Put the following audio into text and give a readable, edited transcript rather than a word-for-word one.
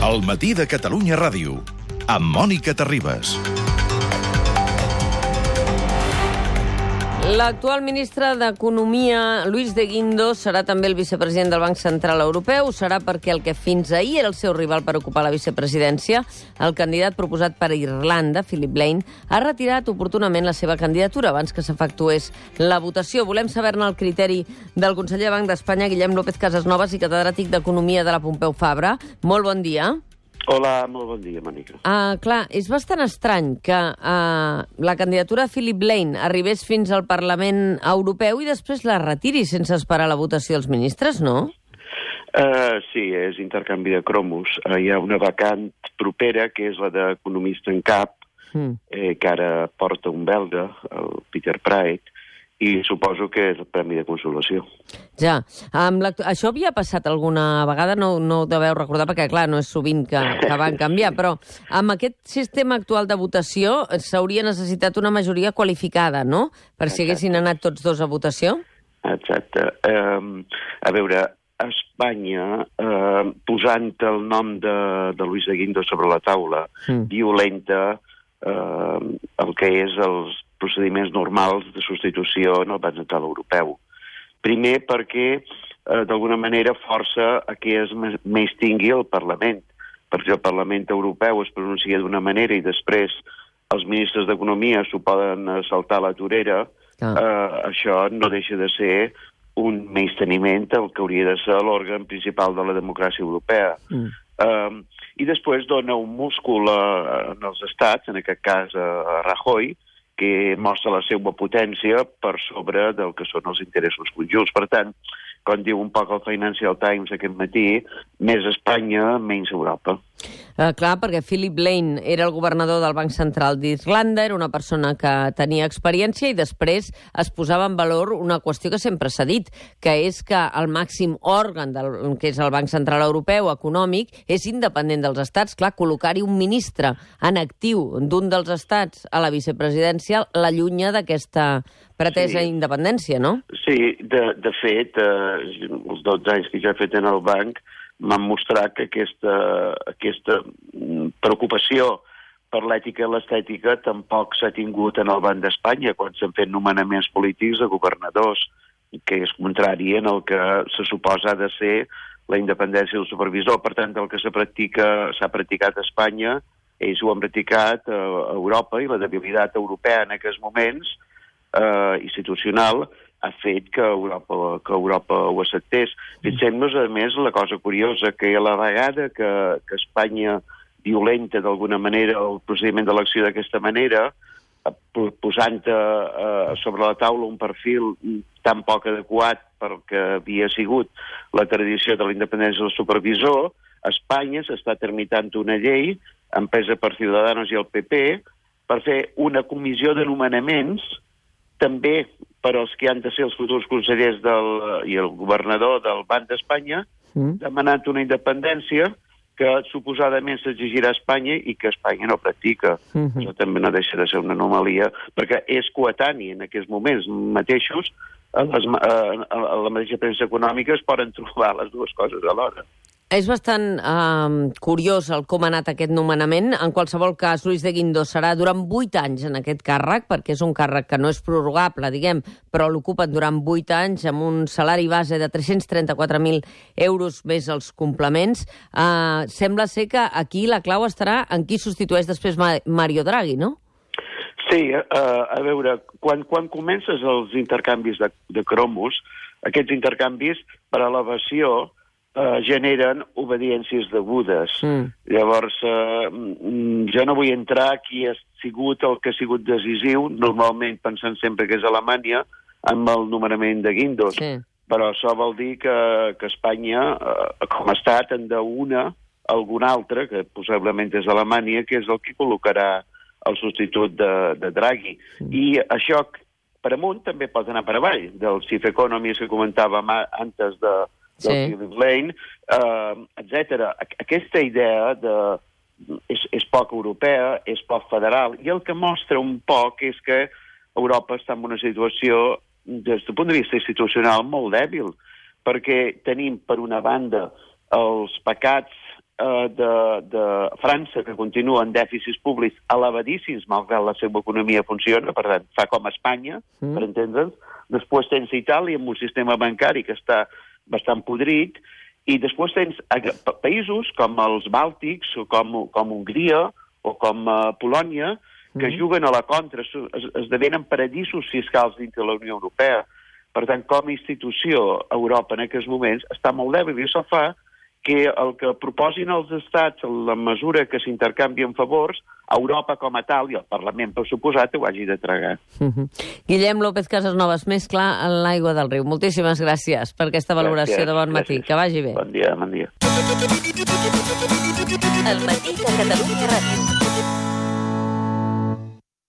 El matí de Catalunya Ràdio, amb Mònica Terribas. L'actual ministre d'Economia, Luis de Guindos, serà també el vicepresident del Banc Central Europeu. Serà perquè el que fins ahir era el seu rival per ocupar la vicepresidència, el candidat proposat per Irlanda, Philip Lane, ha retirat oportunament la seva candidatura abans que s'efectués la votació. Volem saber-ne el criteri del conseller del Banc d'Espanya, Guillem López Casasnovas, i catedràtic d'Economia de la Pompeu Fabra. Molt bon dia. Hola, molt bon dia, Mònica. Clar, és bastant estrany que la candidatura de Philip Lane arribés fins al Parlament Europeu i després la retiri sense esperar la votació dels ministres, no? Sí, és intercanvi de cromos. Hi ha una vacant propera, que és la d'economista en cap, que ara porta un belga, el Peter Praet, i suposo que és el premi de consolació. Ja. Això havia passat alguna vegada, no ho deveu recordar, perquè, clar, no és sovint que van canviar, però amb aquest sistema actual de votació s'hauria necessitat una majoria qualificada, no?, per si haguessin anat tots dos a votació? Exacte. A veure, a Espanya, posant el nom de Luis de Guindos sobre la taula, violenta el que és els procediments normals de substitució en el Banc Central Europeu. Primer perquè, d'alguna manera, força a que es menystingui el Parlament, perquè el Parlament Europeu es pronuncia d'una manera i després els ministres d'Economia s'ho poden saltar a la torera, això no deixa de ser un menysteniment al que hauria de ser l'òrgan principal de la democràcia europea. I després dona un múscul als estats, en aquest cas a Rajoy, que mostra la seva potència per sobre del que són els interessos conjunts. Per tant, com diu un poc el Financial Times aquest matí, més Espanya, menys Europa. Clar, perquè Philip Lane era el governador del Banc Central d'Irlanda, era una persona que tenia experiència i després es posava en valor una qüestió que sempre s'ha dit, que és que el màxim òrgan, que és el Banc Central Europeu, econòmic, és independent dels estats. Clar, col·locar-hi un ministre en actiu d'un dels estats a la vicepresidència l'allunya d'aquesta pretesa independència, no? Sí, de fet, els 12 anys que ja he fet en el banc m'han mostrat que aquesta preocupació per l'ètica i l'estètica tampoc s'ha tingut en el Banc d'Espanya quan s'han fet nomenaments polítics de governadors, que és contrari en el que se suposa ha de ser la independència del supervisor. Per tant, el que s'ha practicat a Espanya, ells ho han practicat a Europa, i la debilitat europea en aquests moments institucional ha fet que Europa ho acceptés. Fixem-nos, a més, la cosa curiosa, que a la vegada que Espanya violenta d'alguna manera el procediment d'elecció d'aquesta manera, posant sobre la taula un perfil tan poc adequat pel que havia sigut la tradició de la independència del supervisor, Espanya s'està tramitant una llei empresa per Ciudadanos i el PP per fer una comissió de nomenaments també per als que han de ser els futurs consellers i el governador del Banc d'Espanya, demanant una independència que suposadament s'exigirà a Espanya i que Espanya no practica. Això també no deixa de ser una anomalia, perquè és coetani en aquests moments mateixos, a la mateixa premsa econòmica es poden trobar les dues coses alhora. És bastant curiós com ha anat aquest nomenament. En qualsevol cas, Luis de Guindos serà durant 8 anys en aquest càrrec, perquè és un càrrec que no és prorrogable, diguem, però l'ocupen durant 8 anys amb un salari base de 334.000 euros més els complements. Sembla ser que aquí la clau estarà en qui substitueix després Mario Draghi, no? Sí, a veure, quan comences els intercanvis de cromos, aquests intercanvis per elevació generen obediències degudes. Llavors, jo no vull entrar qui ha sigut el que ha sigut decisiu, normalment pensant sempre que és Alemanya, amb el nomenament de Guindos. Però això vol dir que Espanya, com a estat, en d'una algun altre, que possiblement és Alemanya, que és el que col·locarà el substitut de Draghi. I això, per amunt, també pot anar per avall. Del Chief Economist que comentàvem antes del Philip Lane, etc. Aquesta idea és poc europea, és poc federal, i el que mostra un poc és que Europa està en una situació, des del punt de vista institucional, molt dèbil, perquè tenim, per una banda, els pecats de França, que continua en dèficits públics elevadíssims, malgrat la seva economia funciona, per tant, fa com Espanya, per entendre'ns. Després tens Itàlia amb un sistema bancari que està bastant podrit, i després tens països com els Bàltics, o com Hongria, o com Polònia, que juguen a la contra, esdevenen paradisos fiscals dins de la Unió Europea. Per tant, com a institució, Europa en aquests moments està molt dèbil, i això fa que el que proposin els estats, en la mesura que s'intercanvien favors, Europa com a tal, i el Parlament, per suposat, ho hagi de tragar. Guillem López Casasnovas, més clar en l'aigua del riu. Moltíssimes gràcies per aquesta valoració de bon matí. Que vagi bé. Bon dia, bon dia. El matí de Catalunya Ràdio.